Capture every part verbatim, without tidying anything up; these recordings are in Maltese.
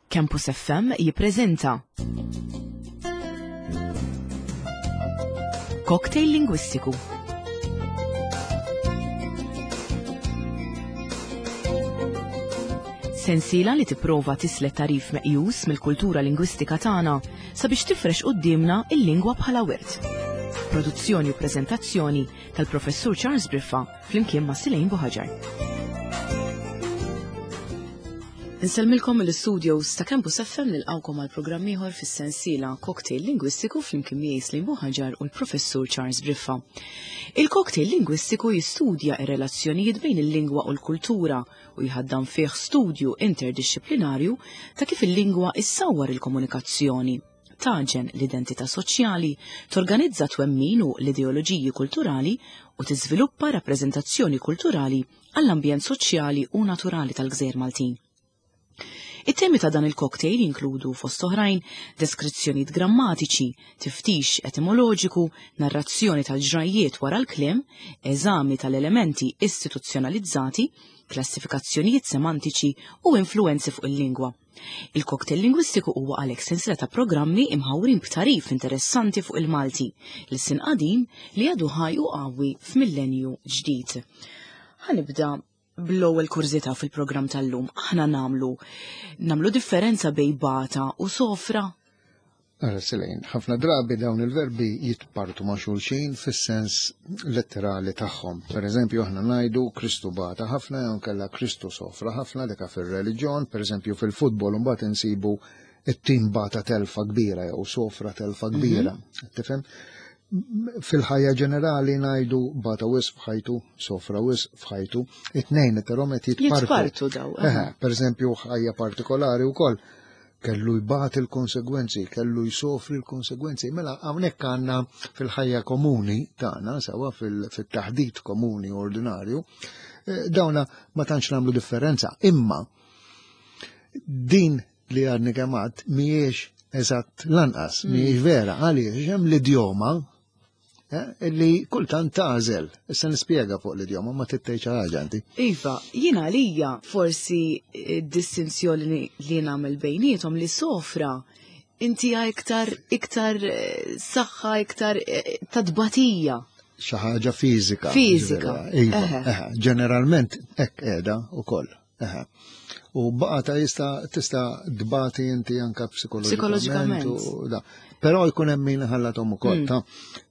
Campus F M jippreżenta Cocktail Lingwistiku. Sensiela li tipprova tislet tarif meqjus mill-kultura lingwistika tagħna sabiex tifrex quddiemna il-lingwa bħala wirt. Produzzjoni u preżentazzjoni tal-Professur Charles Briffa flimkien ma' Silejn Buħaġar. Insellmilkom mill-studios ta' Campus F M nilqgħukom għal programm ieħor fis-sensiela Cocktail Lingwistiku flimkien miegħi Silejn Buħaġar u l-Professur Charles Briffa. Il-Cocktail Lingwistiku jistudja r-relazzjonijiet bejn il-lingwa u l-kultura u jħaddan fih studju interdixxiplinarju ta' kif il-lingwa issawwar il-komunikazzjoni, taġen l-identità soċjali, torganizza twemmin u l-ideoloġiji kulturali u tiżviluppa rappreżentazzjoni kulturali għall-ambjent soċjali u naturali tal-Gżejjer Maltin. It-temi ta' dan il-cocktail jinkludu fost oħrajn deskrizzjonijiet grammatiċi, tiftix etimoloġiku, narrazzjoni tal-ġrajjiet wara l-kliem, eżami tal-elementi istituzzjonalizzati, klassifikazzjonijiet semantiċi u influenzi fuq il-lingwa. Il-cocktail lingwistiku huwa għalhekk sensiela ta' programmi imħawrin b'tarif interessanti fuq il-Malti, l-sin qadim li għadu ħaj u qawwi f'millenju ġdid. Ħanibda bl-ewwel kurżità fil-programm tal-lum. Aħna nagħmlu, nagħmlu differenza bejn bata u sofra. Ara Silejn, ħafna drabi dawn il-verbi jitpartu ma' xulxin fis-sens letterali tagħhom. Per eżempju, aħna ngħidu Kristu bata ħafna jew kellha Kristu sofra ħafna dik fir-reliġjon, per eżempju fil-futbol imbagħad insibu it-tim bata telfa kbira jew sofra telfa kbira. Mhm. Tifhem? Fil-ħajja ġenerali ngħidu bata wisq f'ħajtu, sofra wisq f'ħajtu, it-tnejn però qed jitpartu. Jitpartu daw, Eħe, aha. per eżempju ħajja partikolari wkoll kellu jbati l-konsegwenzi, kellu jsofri l-konsegwenzi. Mela hawnhekk għandna fil-ħajja komuni tagħna, sewa fil-, fit-taħdit komuni ordinarju, eh, dawna ma tantx nagħmlu differenza. Imma din li għadni kemm għadt mhijiex eżatt lanqas, Mm. mhijiex vera, għaliex hemm l-idjoma, eh, li kultant tagħżel. Issa nispjega fuq l-idjoma, ma tittejx ħaġa inti. Iva, jiena għalija forsi d-distinzjoni li, li nagħmel bejniethom li sofra inti iktar, iktar, eh, saħħa, iktar, eh, tadbatija. Xi ħaġa fiżika, Fiżika. ġifieri, iva, Eħe. eħe, ġeneralment hekk qiegħda wkoll. Eħe. U baqa ta' jista' tista' tbati inti anka psikoloġikament Psikoloġikament. u da. Però jkun hemm min ħallathom ukoll, Mm. ta'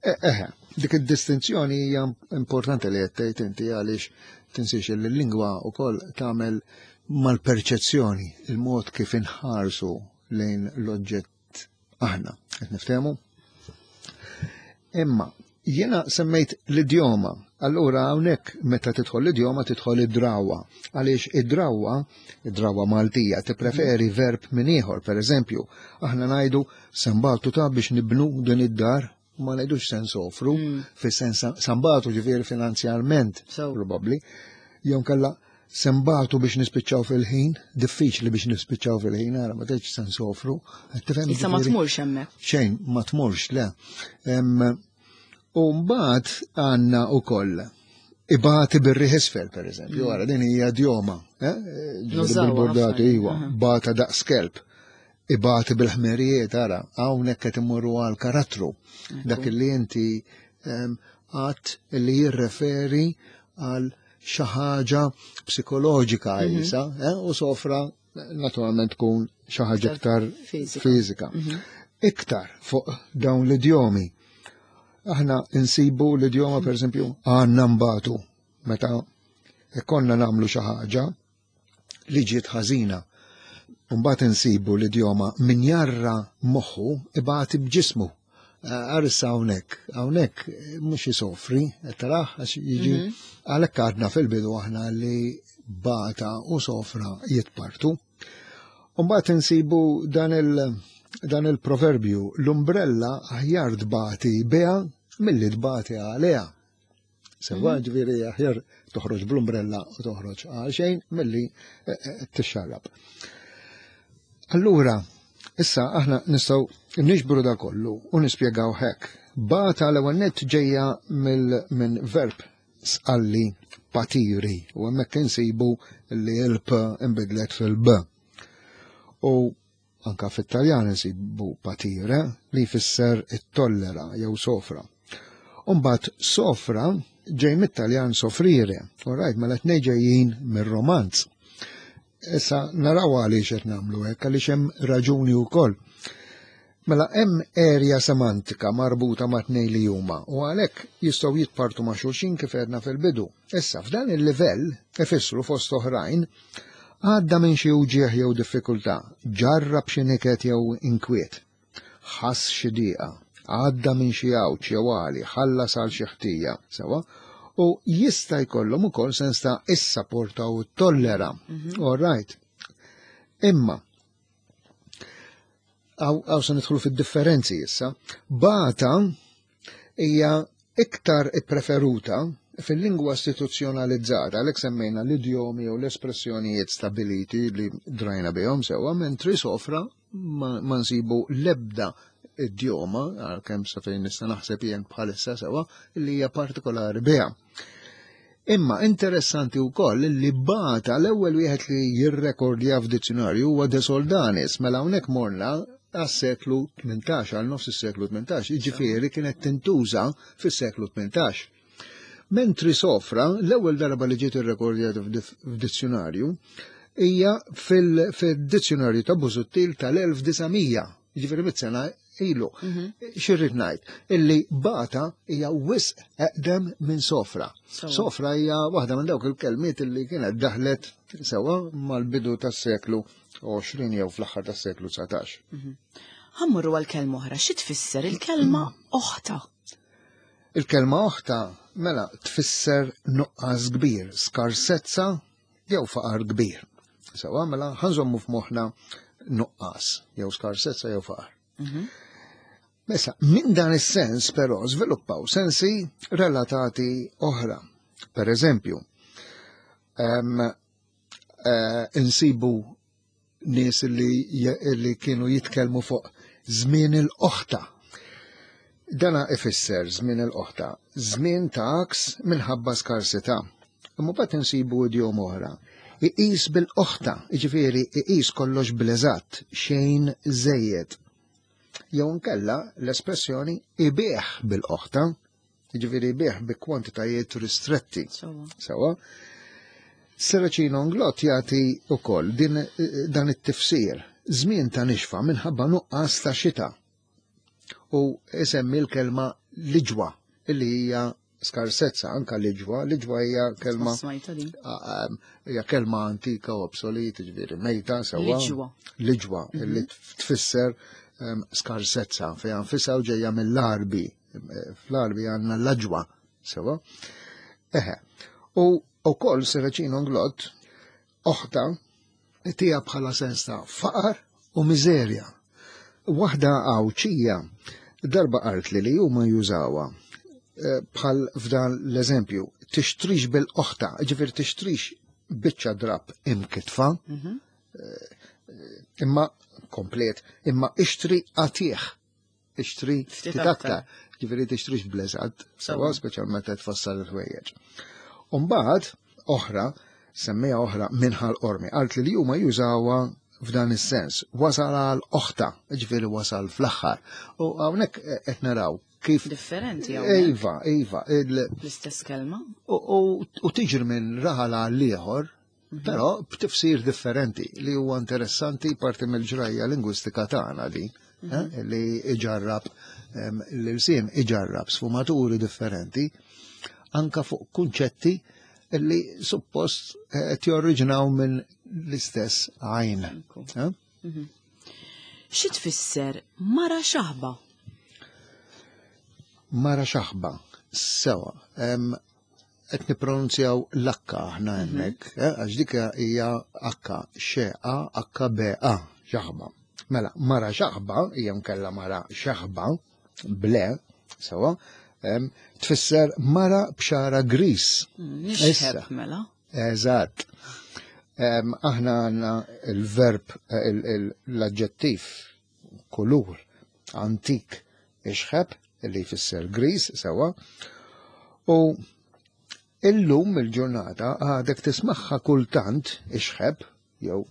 E-, eħe, dik id-distinzjoni hija importanti li qed tgħid inti għaliex tinsiex li l-lingwa wkoll tagħmel mal-perċezzjoni, il-mod kif inħarsu lejn l-oġġett aħna. Qed niftehmu? Imma jiena semmejt l-idjoma. Allura hawnhekk meta tidħol l-idjoma tidħol id-drawwa. Għaliex id-drawwa, id-drawwa Maltija, tippreferi verb minn ieħor. Per eżempju, aħna ngħidu sembatu ta' biex nibnu din id-dar, ma ngħidux se nsofru, Mm. fis-sens sambatu ġifieri finanzjarment, So. probabbli. Jew kellha sembatu biex nispiċċaw fil-ħin, diffiċli biex nispiċċaw fil-ħin, ara ma tgħidx se nsofru. Tifhem Issa ma ġifieri? tmurx hemmhekk. Xejn, ma tmurx, le. Em, U mbagħad għandna wkoll ibati bir-riħ isfel, per eżempju, Mm. ara din hija idjoma, eh? Ġifieri Nużawha bil-burdati, ħafna. iwa, Aha. bata daqs kelb. Ibati bil-ħmerijiet, ara, hawnhekk qed immorru għal karattru. Ekku. Dak li inti, em, għadd li jirreferi għal xi ħaġa psikoloġika Mhm. jisa, eh, u sofra naturalment tkun xi ħaġa Iktar iktar fiżika. fiżika. Mhm. Iktar fuq dawn l-idjomi. Aħna insibu l-idjoma, per eżempju, għandna mbatu. Meta konna nagħmlu xi ħaġa li ġiet ħażina. Mbagħad insibu l-idjoma min jarra moħħu ibati b'ġismu. Arissa hawnhekk, hawnhekk mhux isofri, qed taraħ għax jiġi Mhm. għalhekk għadna fil-bidu aħna li bata u sofra jitpartu. Mbagħad insibu dan il-, dan il-proverbju, l-umbrella aħjar tbati biha milli tbati għaliha. Sewa, Mhm. ġifieri aħjar toħroġ bl-umbrella u toħroġ għal xejn milli, eh, eh, tixxarrab. Allura, issa aħna nistgħu niġbru da kollu u nispjegaw hekk. Bata l-ewwel nett ġejja mill-, minn verb sqalli patiri u hemmhekk insibu li l-p inbidlet fil-b. U Anka fit-Taljan insibu patire li jfisser it-tollera jew sofra. Umbat sofra ġej mit-Taljan soffrire, all right, mela tnej ġejjin mir-Romanz. Issa naraw għaliex qed nagħmlu hekk, għaliex hemm raġuni wkoll. Mela hemm erja semantika marbuta ma' tnejn li huma u għalhekk jistgħu jitpartu ma' xulxin kif għedna fil-bidu. Issa f'dan il-livell ifissru fost oħrajn għadda minn xi uġieħ jew diffikultà, ġarrab xi niket jew inkwiet, ħass xi dieqa, għadda minn xi għawġ jew għali, ħallas għal xi ħtija, sewa, u jista' jkollhom ukoll sens ta' issapporta u tollera. All right. Imma, għaw se nidħlu fid-differenzi issa, bata hija iktar ippreferuta fil-lingwa istituzzjonalizzata, għalhekk semmejna l-idjomi u l-espressjonijiet stabiliti li drajna bihom sewwa, mentri sofra ma, ma nsibu lebda idjoma, għalkemm sa fejn nista' naħseb jien bħalissa sewwa, li hija partikolari biha. Imma interessanti wkoll li bata l-ewwel wieħed li jirrekordja f'dizzjonarju huwa De Soldanis, mela hawnhekk morna għas-seklu tmintax, għal nofs is-seklu tmintax, jiġifieri kienet tintuża fis-seklu tmintax. Mentri sofra, l-ewwel darba li ġiet irrekordjata f'dizzjonarju hija fil-dizzjonarju ta' Busuttil tal-elf disa' mija, jiġifieri mitt sena ilu. X'irrid ngħid? Illi bata hija wisq eqdem minn sofra. Sofra hija waħda minn dawk il-kelmiet illi kienet daħlet sewa mal-bidu tas-seklu għoxrin jew fl-aħħar tas-seklu dsatax. Ħa mmorru għal kelma oħra, xi tfisser il-kelma oħta? Il-kelma oħta mela tfisser nuqqas kbir, skarsezza jew faqar kbir. Sewa mela ħa nżommu f'moħħna nuqqas jew skarsezza jew faqar. Mesa, minn dan is-sens però żviluppaw sensi relatati oħra. Per eżempju, um, uh, insibu nies li, li kienu jitkellmu fuq żmien il-oħta. Dana ifisser żmien il-oħta, żmien ta' għaks minħabba skarsità. Imma mbagħad insibu idjom oħra. Iqis bil-oħta, jiġifieri iqis kollox bl-eżatt, xejn żejjed. Jew nkella l-espressjoni ibigħ bil-oħta, jiġifieri ibigħ bi kwantitajiet ristretti. Sewa. Serracino Inglott jagħti wkoll din dan it-tifsir, żmien ta' nixfa minħabba nuqqas ta' xita. U isemmi l-kelma liġwa, illi hija skarsezza, anka liġwa, liġwa hija kelma hija kelma antika u obsoleta, ġifieri mejta sewwa. Liġwa. Liġwa, illi tfisser skarsezza, fejn nfisha u ġejja mill-Arbi. Fl-Arbi għandna l-aġwa, sewwa. Eħe. U wkoll Serracino Inglott oħta tija bħala sens ta' faqar u miżerja. Waħda Għawdxija darba qalt li li huma jużawha bħal f'dan l-eżempju, tixtrix bil-oħta, ġifieri tixtrix biċċa drab imkitfa, imma komplet, imma ixtri għatieħ, ixtri ftit ftit aktar. aktar, ġifieri tixtrix bl-eżatt, sewa speċjalment qed tfassal il-ħwejjeġ. Umbagħad oħra, semmija oħra minħal Qormi, qalt li li huma jużawha f'dan is-sens, wasal għal oħta, ġifieri wasal fl-aħħar. U hawnhekk qed naraw kif differenti hawnhekk. Iva, iva, il- L-istess kelma. u, u, u tiġri minn raħal għal ieħor, però b'tifsir differenti li huwa interessanti parti mill-ġrajja lingwistika tagħna din, eh, li iġarrab em, l-ilsien iġarrab sfumaturi differenti anka fuq kunċetti li suppost eh, qed jorriġinaw minn l-istess għajn. Ekku. Eh? Xi tfisser mara xaħba? Mara xaħba, sewa, em, qed nippronunzjaw l-akka aħna hemmhekk, eh, għax dik hija akka, xe a akka b a, xaħba. Mela, mara xaħba, hija mkella mara xaħba, ble, sewa, em, tfisser mara b'xara gris. Nixħeb Issa. mela. Eżatt. Em, aħna għandna il-verb, eh, il- il- l-aġġettiv kulur antik ixħeb, li jfisser gris, sewa, u illum il-ġurnata għadek tismaħħa kultant ixħeb, jew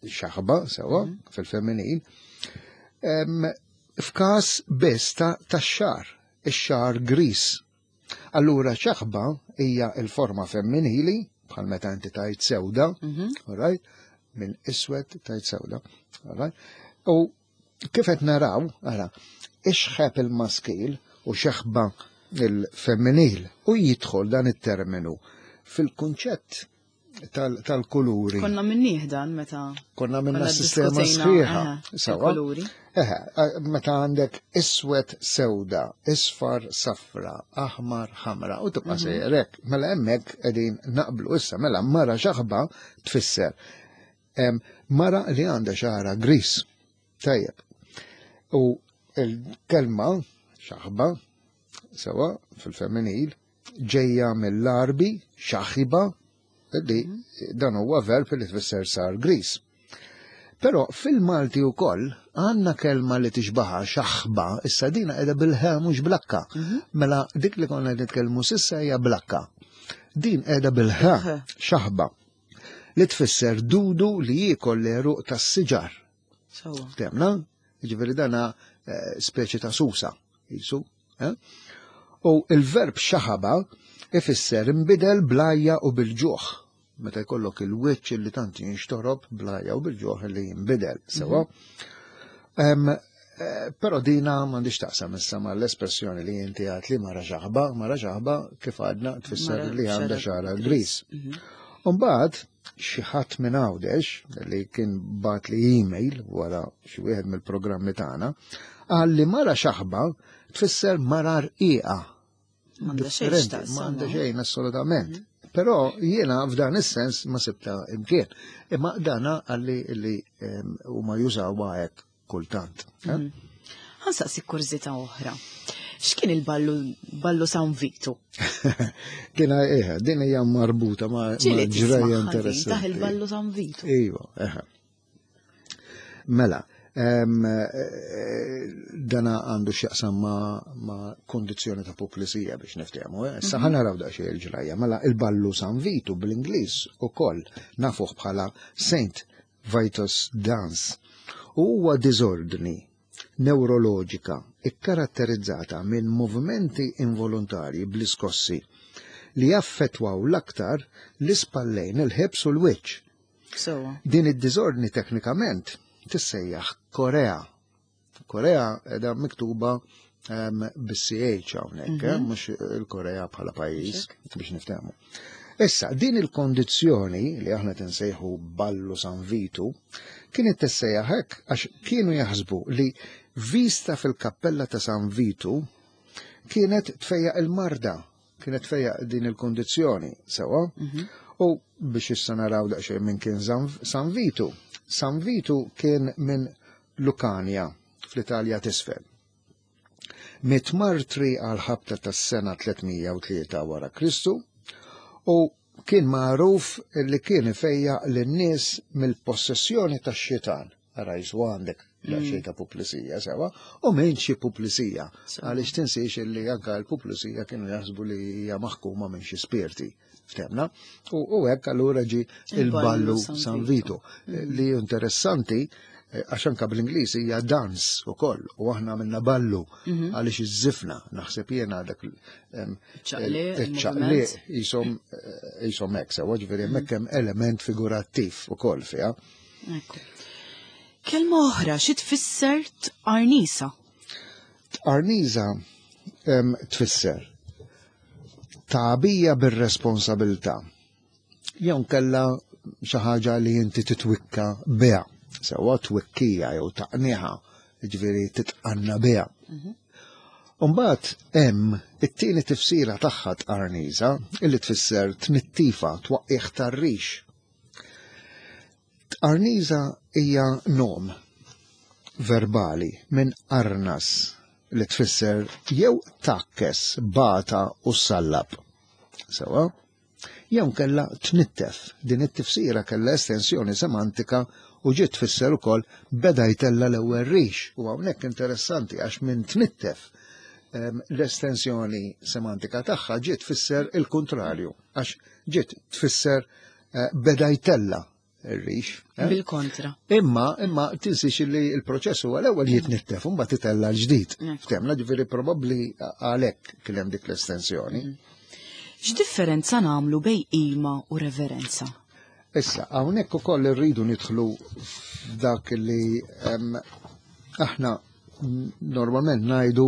Xaħba, sewa, fil-femminil, em, f'każ biss ta' tax-xagħar, ix-xagħar gris. Allura xaħba hija il-forma femminili, bħal meta inti tajt sewda, all right? Minn iswed tajt sewda, all right? U kif qed naraw, ara, ixħeb il-maskil u xeħba il-femminil u jidħol dan it-terminu fil-kunċett tal- tal-kuluri. Konna minnih dan meta Konna minna konna sistema ddiskutejna, sħiħa. eħe, Sewa? il-kuluri. Eħe, eh, meta għandek iswed sewda, isfar safra, aħmar ħamra, u tibqa' sejrek. Mela hemmhekk qegħdin naqblu issa, mela mara xaħba tfisser em, mara li għandha xagħra gris. Tajjeb. U il-kelma xaħba, sewa fil-femminil, ġejja mill-Għarbi xaħiba, li dan huwa verb li tfisser sar gris. Però fil-Malti wkoll għandna kelma li tixbaha xaħba, issa dina qiegħda bil-ħa mhux bl-akka. Mela dik li konna nitkellmu s'issa hija bl-akka. Din qiegħda bil-ħa, xaħba, li tfisser dudu li jiekol l-għeruq tas-siġar. Sewa. Temna? Ġifieri dana eh, speċi ta' susa, jisu. Eh? U il-verb xaħaba ifisser imbidel bl-għajja u bil-ġuħ. Meta jkollok il-wiċċ li tant jinxtorob bl-għajja u bil-ġuħ li jinbidel. Sewa. Em, eh, Però dina m'għandix taqsam issa ma l-espressjoni li inti għat li mara xaħba, mara xaħba kif għadna tfisser Mara li għandha xagħra xagħra gris. Umbagħad xi ħadd minn Għawdex li kien bagħat li email wara xi wieħed mill-programmi tagħna, qal li mara xaħba tfisser mara rqiqa. M'għandha xejn Differenti, x'taqsam, m'għandha no? xejn assolutament. Però jiena f'dan is-sens ma sibta imkien. Imma dana għalli li em, huma jużawha hekk kultant. eh? Ħa nsaqsi kurżità oħra. X'kien il-ballu ballu San Vito? Dina eħe, din hija marbuta ma' ma' Ġieli ġrajja tisma' ħażin interessanti. taħ il-ballu San Vito. Iva, eħe. Mela, em, eh, dana għandu x'jaqsam ma', ma' kondizzjoni ta' puplisija biex niftehmu. Eh? Issa ħa naraw daqsxejn il-ġrajja. Mela, il-ballu San Vitu bl-Ingliż ukoll nafuh bħala Saint Vitus Dance. U huwa diżordni neuroloġika ikkaratterizzata minn movimenti involontarji bl-iskossi li jaffetwaw l-aktar l-ispallejn, il-ħibs u l-wiċċ. Sewa. Din id-diżordni teknikament tissejjaħ Korea. Korea edha miktuba um, bis-C H hawnhekk, eh, mhux il-Korea bħala pajjiż biex niftehmu. Issa, din il-kondizzjoni li aħna tinsejħu ballu San Vitu kienet tissejjaħ hekk għax kienu jaħsbu li vista fil-kappella ta' San Vitu kienet tfejjaq il-marda, kienet tfejjaq din il-kondizzjoni, sewa? U biex issa naraw daqsxejn minn kien San San Vitu. San Vitu kien minn Lucania fl-Italja t'isfel. Miet martri għal ħabta tas-sena tliet mija u tlieta wara Kristu u kien magħruf li kien ifejjaq lin-nies mill-possessjoni tax-xitan. Ara jisu għandek xejn ta' puplisija sewa, u minn xi puplisija. Għaliex tinsiex li anka l-puplisija kienu jaħsbu li hija maħkuma minn xi spirti. Ftemna? U u hekk allura ġi il-ballu San Vito. Li interessanti, eh, għax anka bl-Ingliż hija dance ukoll, u aħna minna ballu għaliex iż-żifna, naħseb jiena dak Ċaqliq, iċ-ċaqliq jisom eh, jisom hekk sewa, ġifieri hemmhekk hemm element figurattiv ukoll fiha. Ekku. Kelma oħra, xi tfisser tqarnisa? Tqarniża em, tfisser tagħbija bir-responsabilità. Jew kella xi ħaġa li inti titwikka biha, sewa twikkija jew taqniħa, jiġifieri titqanna biha. Umbagħad hemm it-tieni tifsira tagħha tqarniża illi tfisser tnittifa, twaqqih tar-rix. Tqarniża hija nom verbali minn arnas li tfisser jew takkes, bata u sallab. Sewa? Jew kella tnittef. Din it-tifsira kella estensjoni semantika u ġiet tfisser ukoll beda jtella l-ewwel rix. U hawnhekk interessanti għax minn tnittef em, l-estensjoni semantika tagħha ġiet tfisser il-kontrarju, għax ġiet tfisser eh, beda jtella ir-rix. eh? Bil-kontra. Imma, imma tinsiex li il-proċess huwa l-ewwel jitnittef u mbagħad titella l-ġdid. Ekku. Ftemna, ġifieri probabbli għalhekk kien hemm dik l-estensjoni. X'differenza nagħmlu bejn qima u reverenza? Issa, hawnhekk ukoll irridu nidħlu f'dak li em, aħna normalment ngħidu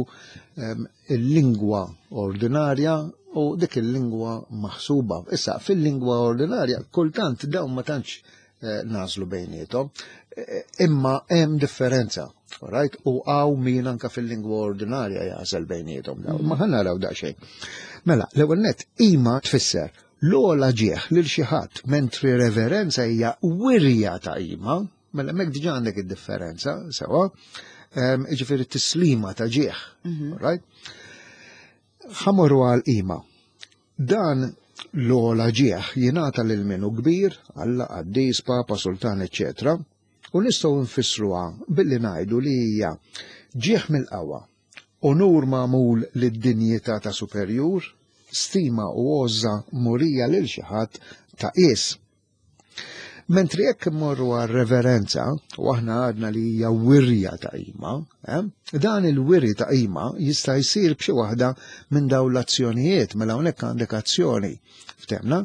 em, il-lingwa ordinarja u dik il-lingwa maħsuba. Issa, fil-lingwa ordinarja kultant dawn ma tantx eh, nażlu bejniethom, eh, imma hemm differenza. Right? U hawn min anka fil-lingwa ordinarja jażel bejniethom dawn. Ma ħa naraw daqsxejn. Mela, l-ewwel nett qima tfisser l-ogħla ġieħ lil xi ħadd, mentri reverenza hija wirja ta' qima, mela hemmhekk diġà għandek id-differenza, sewa, Em, ġifieri tislima ta' ġieħ, right? Ħa mmorru għal qima. Dan l-ogħla ġieħ jingħata lil min hu kbir, Alla, qaddis, papa, sultan, eċċetera. U nistgħu nfissruha billi ngħidu li hija ġieħ mill-qawwa, onur magħmul lid-dinjità ta' superjur, stima u għożża murija lil xi ħadd ta' qies. Mentri jekk immorru għal reverenza, u aħna għadna li hija wirja ta' qima, eh, dan il-wiri ta' qima jista' jsir b'xi waħda minn dawn l-azzjonijiet, mela hawnhekk għandek azzjoni. Ftemna,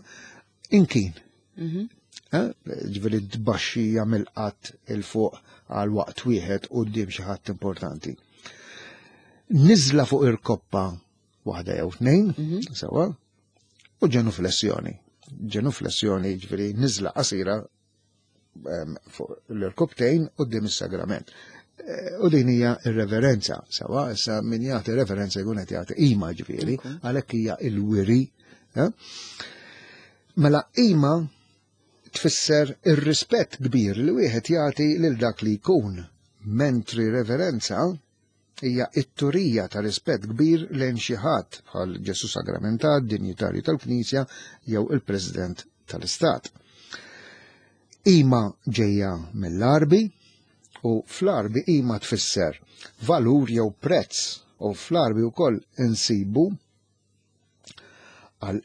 inkin. Eh, Ġifieri tbaxxija mill-qatt 'il fuq għal waqt wieħed quddiem xi ħadd importanti. Niżla fuq irkoppa waħda jew tnejn, sewa, u ġenuflessjoni. Ġenuflessjoni ġifieri niżla qasira em, fuq l-irkoptejn quddiem is-sagrament. Eh, U din hija ir-reverenza, sewa, issa min jagħti reverenza jkun qed jagħti qima ġifieri, għalhekk hija il-wiri. eh? Mela qima tfisser ir-rispett kbir li wieħed jagħti lil dak li jkun, mentri reverenza hija it-turija ta' rispett kbir lejn xi ħadd bħal Ġesu Sagramentat, dinjitarju tal-Knisja jew il-President tal-Istat. Qima ġejja mill-Arbi u fl-Arbi qima tfisser valur jew prezz u fl-Arbi wkoll insibu għal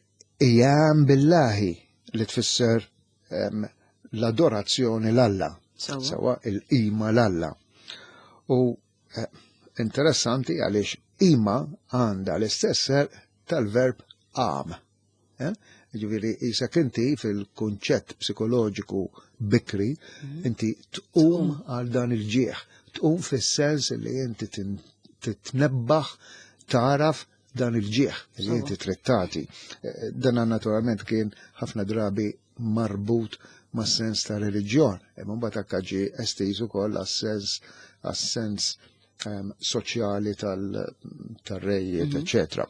ijam billahi li tfisser em, l-adorazzjoni l-Alla, Sewa. sewa il-qima l-Alla. U eh, interessanti għaliex qima għandha l-istess għerq tal-verb qam. Eh? Ġifieri, jisek inti fil-kunċett psikoloġiku bikri, inti tqum għal dan il-ġieħ, tqum fis-sens li inti tin- titnebbaħ taraf dan il-ġieħ li inti trittati. Eh, Dan naturalment kien ħafna drabi marbut ma' sens ta' reliġjon, imma mbagħad anke ġie estiż ukoll għas-sens għas-sens em, soċjali tal-rejiet, eċċetera.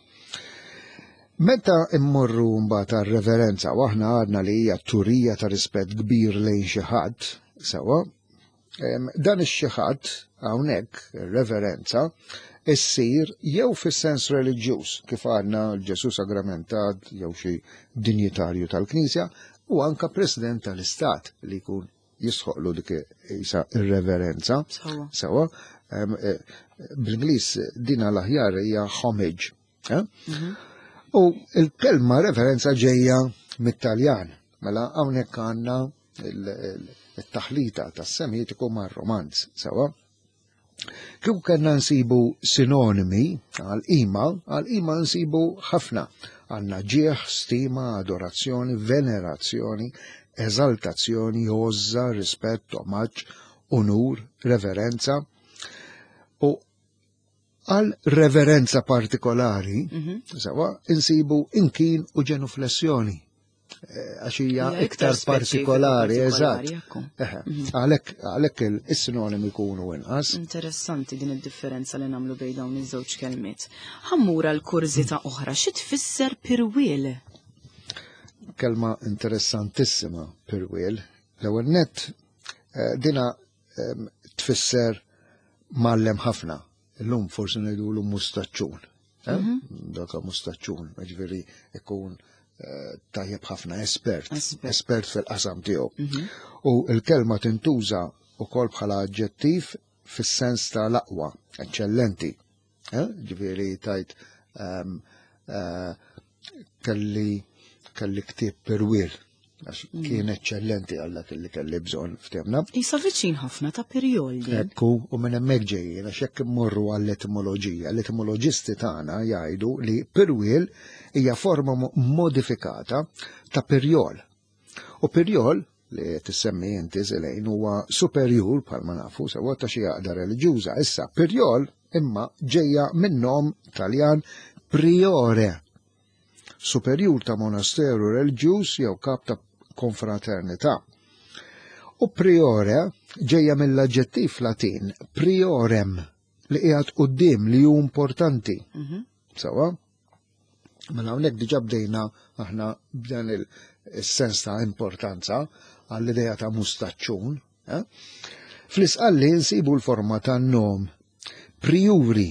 Meta immorru mbagħad għar-reverenza u aħna għadna li hija turija ta' rispett kbir lejn xi ħadd, sewa, em, dan ix-xi ħadd hawnhekk ir-reverenza issir jew fis-sens reliġjuż kif għadna Ġesu Sagramentat jew xi dinjitarju tal-Knisja u anka President tal-Istat li jkun jisħoqlu dik isa ir-reverenza. Sewa. Sewa, em, eh, bl-Ingliż dina l-aħjar hija homage. eh? U il-kelma reverenza ġejja mit-Taljan. Mela hawnhekk għandna il- il- il-taħlita tas-Semitiku mar-Romanz, sewa. Kieku kellna nsibu sinonimi għal qima, għal qima nsibu ħafna. Għandna ġieħ, stima, adorazzjoni, venerazzjoni, eżaltazzjoni, għożża, rispett, omaġġ, unur, reverenza. U għal reverenza partikolari, sewa, insibu inkin u ġenuflessjoni. Eh, Għax hija Hija iktar iktar speċifika, partikolari, partikolari, eżatt. ekku. Eħe, Għalhekk għalhekk il-sinonimi jkunu inqas. Interessanti din id-differenza li nagħmlu bejn dawn iż-żewġ kelmiet. Ħa mmur għal kurżità oħra, xi tfisser pirwiel? Kelma interessantissima pirwiel. L-ewwel nett eh, dina em, tfisser mgħallem ħafna. Illum forsi ngħidulu mustaċċun. eh? Daka mustaċċun, ġifieri ikun eh, tajjeb ħafna espert, Espert. espert fil-qasam tiegħu. U l-kelma tintuża wkoll bħala aġġettiv fis-sens ta' l-aqwa, eċċellenti. Eh? Ġifieri tajt ehm, eh, kelli kelli ktieb pirwiel. Għax kien eċċellenti għal dak li kelli bżonn ftemna. Isa viċin ħafna ta' pirjol din. Ekku, u minn hemmhekk ġejjin, għax jekk immorru għall-etimoloġija, l-etimoloġisti tagħna jgħidu li pirwiel hija forma modifikata ta' pirjol. U pirjol li tissemmi inti Zelejn huwa superjur bħalma nafu sewwa ta' xi għaqda reliġjuża. Issa pirjol imma ġejja minn nom Taljan priore, superjur ta' monasteru reliġjuż jew kap ta' konfraternità. U priore ġejja mill-aġġettiv Latin priorem li qiegħed quddiem li hu importanti. Mhm. Sawa? Mela hawnhekk diġà bdejna aħna b'dan il-sens ta' importanza għall-idea ta' mustaċċun. Eh? Fl-isqalli nsibu l-forma ta' nom priuri,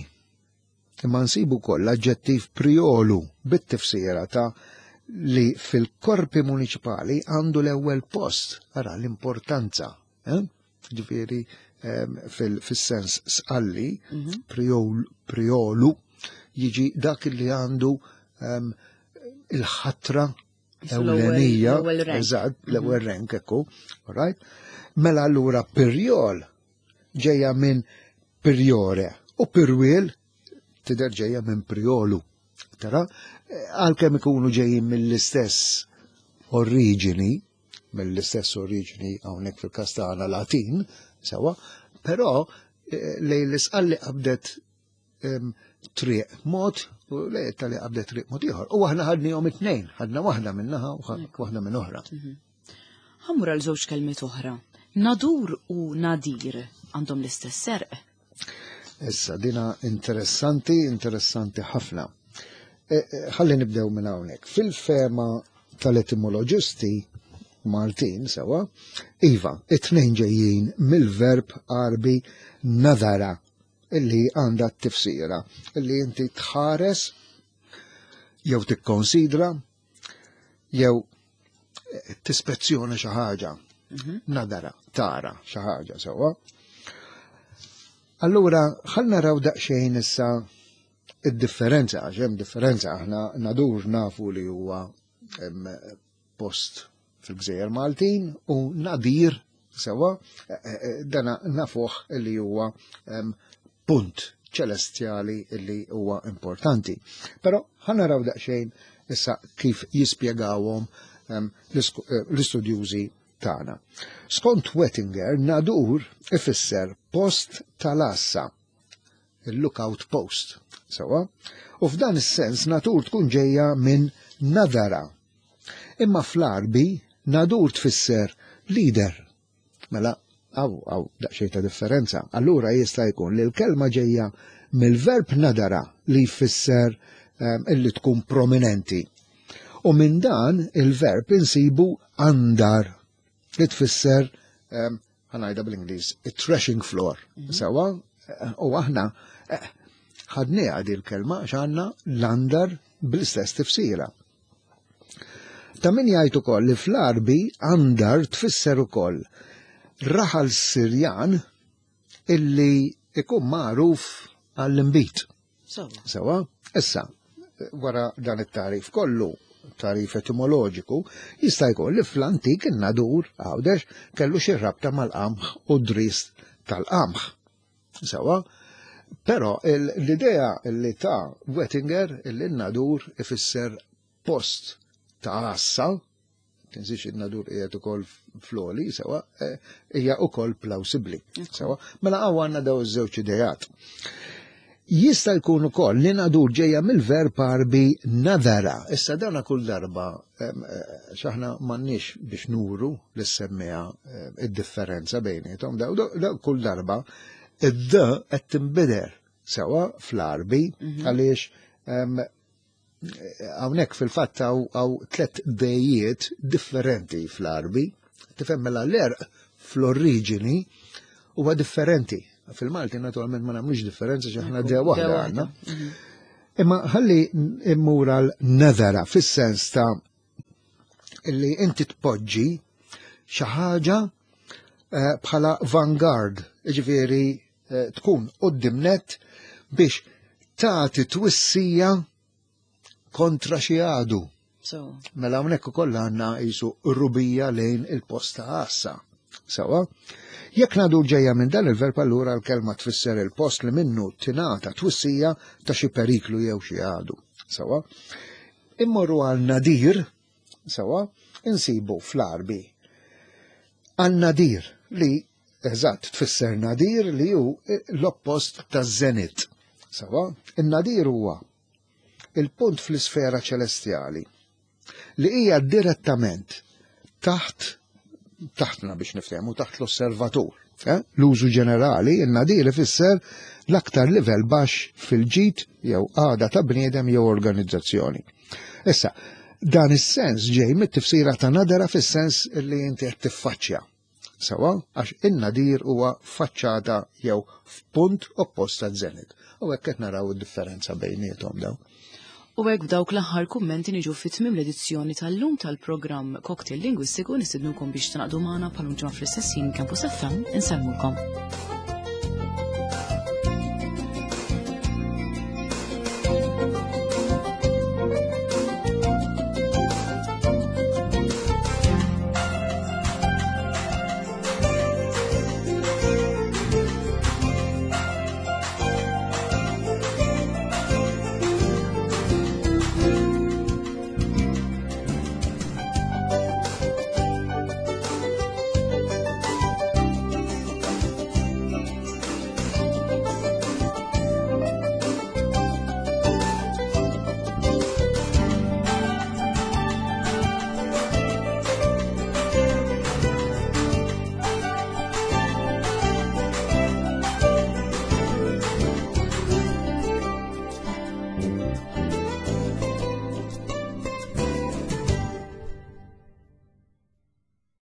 imma nsibu wkoll l-aġġettiv priolu bit-tifsira ta' li fil-korpi municipali għandu l-ewwel post, ara l-importanza. Eh? Ġifieri ehm, fil-sens sqalli, Mhm. priol, priolu, jiġi dak li għandu ehm, il-ħatra L-ewwel- ewlenija, l-ewwel rank. eżatt, l-ewwel rank ekku, all right? Mela allura pirjol ġejja minn priore u pirwiel tidher ġejja minn priolu. Tara, eh, għalkemm ikunu ġejjin mill-istess oriġini, mill-istess oriġini hawnhekk fil-każ tagħna Latin, sewa, però eh, lejn l-isqalli qabdet em, triq mod u lejn tali qabdet triq mod ieħor. U aħna ħadnihom it-tnejn, ħadna waħda minnaħa u ħa- waħda minn oħra. Ħa mmur għal żewġ kelmiet oħra. Nadur u nadir għandhom l-istess għerq. Issa, dina interessanti, interessanti ħafna. E, e, Ħalli nibdew minn hawnhekk. Fil-fema tal-etimoloġisti Maltin sewa, iva, it-tnejn ġejjin mill-verb Arbi nadara, illi għandha t-tifsira, illi inti tħares jew tikkonsidra jew eh, tispezzjoni xi ħaġa. Nadara, tara xi ħaġa sewwa. Allura, ħalli naraw daqsxejn issa id-differenza, għax hemm differenza, aħna nadur nafu li huwa em, post fil-Gżejjer Maltin u nadir sewa eh, eh, dana nafuh li huwa em, punt ċelestjali li huwa importanti. Però ħa naraw daqsxejn issa kif jispjegawhom em, l-isku- eh, l-istudjużi tagħna. Skont Wettinger, nadur ifisser post tal-assa, il-lookout post, sewa, u f'dan is-sens natur tkun ġejja minn nadara. Imma fl-Arbi nadur tfisser leader. Mela, għaw, għaw, daqsxejn ta' differenza. Allura jista' jkun li l-kelma ġejja mill-verb nadara li jfisser um, illi tkun prominenti. U minn dan il-verb insibu andar li tfisser um, ħa ngħidha bl-Ingliż, threshing floor. Sewa, eh, u aħna eh, ħadniha di l-kelma għax għandna l-andar bl-istess tifsira. Ta' min jgħid ukoll li fl-Arbi andar tfisser ukoll raħal Sirjan illi ikun magħruf għall-imbit. Sewa. Sewa, issa, wara dan it-tarif kollu, tarif etimoloġiku, jista' jkun li fl-antik in-nadur Għawdex kellu xi rabta mal-qamħ u dris tal-qamħ. Sewa, però il- l-idea li ta' Wettinger illi n-nadur ifisser post ta' għassa, tinsiex in-nadur qiegħed ukoll fl-għoli, sewa, eh, hija ukoll plawsibbli. Sewa, mela hawn għandna daw iż-żewġ ideat. Jista' jkun ukoll li nadur ġejja mill-verb Arbi nadara. Issa dana kull darba em, eh, x'aħna m'għandniex biex nuru lis-semmiegħa eh, id-differenza bejniethom. Daw daw kull darba id-d qed tinbidel sewa fl-Arbi għaliex em, hawnhekk fil-fatt hawn hawn tliet dejiet differenti fl-Arbi. Tifhem mela l-għerq fl-oriġini huwa differenti. Fil-Malti naturalment ma nagħmlux differenza x'aħna Ekku, de waħda de għandna. waħda. Imma ħalli immur għal nadara fis-sens ta' illi inti tpoġġi xi ħaġa eh, bħala vanguard, ġifieri eh, tkun quddiem net biex tagħti twissija kontra xi għadu. So. Mela hawnhekk ukoll għandna qisu rubija lejn il-post ta' għassa. Sawa? Jekk ngħidu ġejja minn dan il-verb, allura l-kelma tfisser il-post li minnu tingħata twissija ta' xi periklu jew xi għadu. Sawa? Immorru għal nadir, sawa, insibu fl-Għarbi. Għal nadir li eżatt tfisser nadir li hu l-oppost ta' zenit. Sawa? In-nadir huwa il-punt fl-isfera ċelestjali li hija direttament taħt taħtna biex niftehmu, taħt l-osservatur. Eh? L-użu ġenerali, in-nadir ifisser l-aktar livell baxx fil-ġid jew għada ta' bniedem jew organizzazzjoni. Issa, dan is-sens ġej mit-tifsira ta' nadara fis-sens li inti qed tiffaċċja. Sawa, għax in-nadir huwa faċċata jew f'punt oppost ta' zenit. U hekk qed naraw id-differenza bejniethom daw. U hekk b'dawk l-aħħar kummenti niġu fi tmiem l-edizzjoni tal-lum tal-programm Cocktail Lingwistiku. Nistednukom biex tingħaqdu magħna bħal ġimgħa fl-istess ħin, Campus F M. Insellmulkom.